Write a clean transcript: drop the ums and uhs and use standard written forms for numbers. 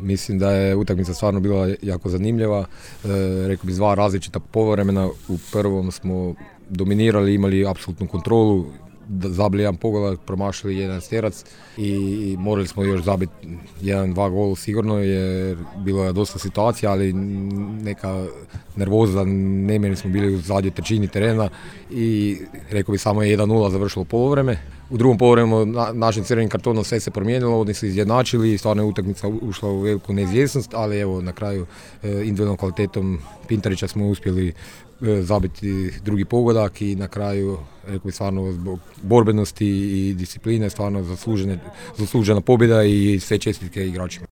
Mislim da je utakmica stvarno bila jako zanimljiva. Rekao bi 2 različita poluvremena. U prvom smo dominirali, imali apsolutnu kontrolu, zabili jedan pogodak, promašili jedan stjerac i morali smo još zabiti 1-2 gol sigurno jer bilo je dosta situacija, ali neka nervoza, nemjerni smo bili u zadnjoj trećini terena i rekao bi samo je 1-0 završilo poluvreme. U drugom poluvremenu našim crvenim kartonom sve se promijenilo, oni su izjednačili i stvarno je utakmica ušla u veliku neizvjesnost, ali evo na kraju individualnom kvalitetom Pintarića smo uspjeli zabiti drugi pogodak i na kraju rekao bi stvarno zbog borbenosti i discipline stvarno zaslužena pobjeda i sve čestitke igračima.